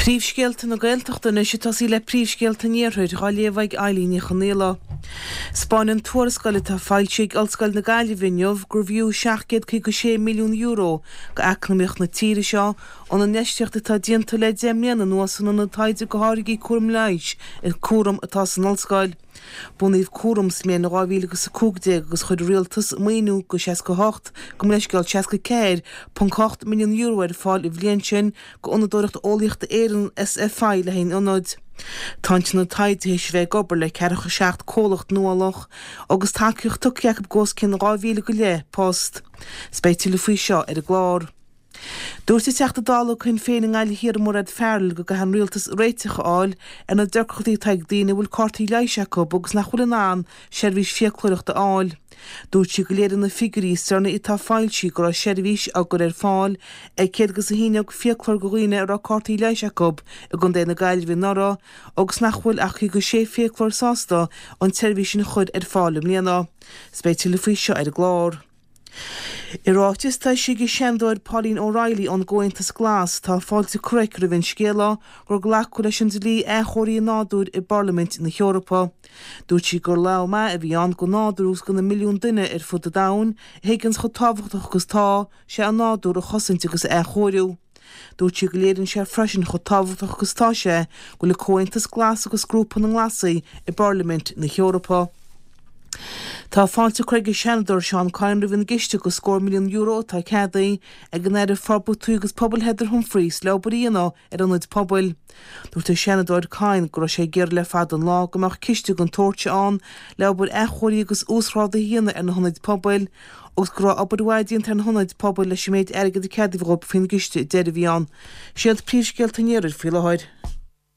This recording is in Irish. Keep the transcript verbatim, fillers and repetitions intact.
Príomhscéalta na Gaeltachta anois ag tosaí le príomhscéalta an Iarthair á léamh ag Eilín Ní Chonaola. 'Spáineann tuarascáil atá foilsithe ag Ollscoil na Gaillimhe inniu gurbh fhiú seacht gcéad caoga sé milliún euro go eacnamaíocht na tíre seo an infheistíocht atá déanta le deich mbliana anuas san ionad taighde go tháirgí cúram leighis cúram atá san ollscoil. Bunaíodh cúram sa mbliain dhá mhíle agus a cúig déag agus chuir an rialtas maoiniú go seasca a hocht gabh mo leithscéal seasca ceathair ponc ocht milliún euro ar fáil an bhliain sin go Fhondúireacht Eolaíochta Éireann SFI le haghaidh an ionaid. Tá an t-ionad taighde théis a bheith ag obair le ceathracha seacht comhlacht nuálach agus tacaíocht tugtha acu go os cionn dhá mhíle go leith post. 'S beidh tuilleadh faoi seo ar an gclár. Dúirt an Teachta Dála do Shinn Féin i nGaillimh Thiar Mairéad Farrell go gcaithfidh an rialtas réiteach a fháil ar na deacrachtaí atá ag daoine a bhfuil cártaí leighis acu agus nach bhfuil in ann seirbhís fiaclóireachta a fháil. Dúirt sí go léiríonn na figiúirí is deireanaí atá foilsithe go raibh seirbhís á gcur ar fáil ag céad agus a haon déag fiaclóir do dhaoine a raibh cártaí leighis acu i gContae na Gaillimhe anuraidh agus nach bhfuil ach caoga sé fiaclóir sásta an tseirbhís sin a chur ar fáil i mbliana. 'S beidh tuilleadh faoi seo ar an gclár. I ráiteas atá eisithe ag an Seanadóir Pauline O'Reilly ón gComhaontas Glas, tá fáilte curtha aici roimh an scéala gur glacadh leis an dlí athchóirithe nádúir i bParlaimint na hEorpa. Dúirt sí gur lá maith a bhí ann don nádúr agus do na milliúin duine ar fud an domhain a thuigeanns chomh tábhachtach agus atá sé an nádúr a chosaint agus a athchóiriú. Dúirt sí go léiríonn sé freisin chomh tábhachtach agus atá sé go bhfuil an Comhaontas Glas agus Grúpa na nGlasaí i bParlaimint na hEorpa. Tá fáilte curtha ag an Seanadóir Seán Kyne roimh an gciste go scór milliún euro atá ceadaithe ag an Aire Forbartha Tuaithe agus Pobail Heather Humphreys le obair a dhéanamh ar ionaid pobail. Dúirt an Seanadóir Kyne go raibh sé ag iarraidh le fada an lá go mbeadh ciste den tsórt seo ann le obair athchóirithe agus uasghrádaithe a dhéanamh ar na hionaid pobail agus go raibh obair mhaith déanta ar na hionaid pobail leis an méid airgid a ceadaíodh dóibh faoin gciste deiridh a bhí ann. Siad príomhscéalta an iarthair faoi láthair.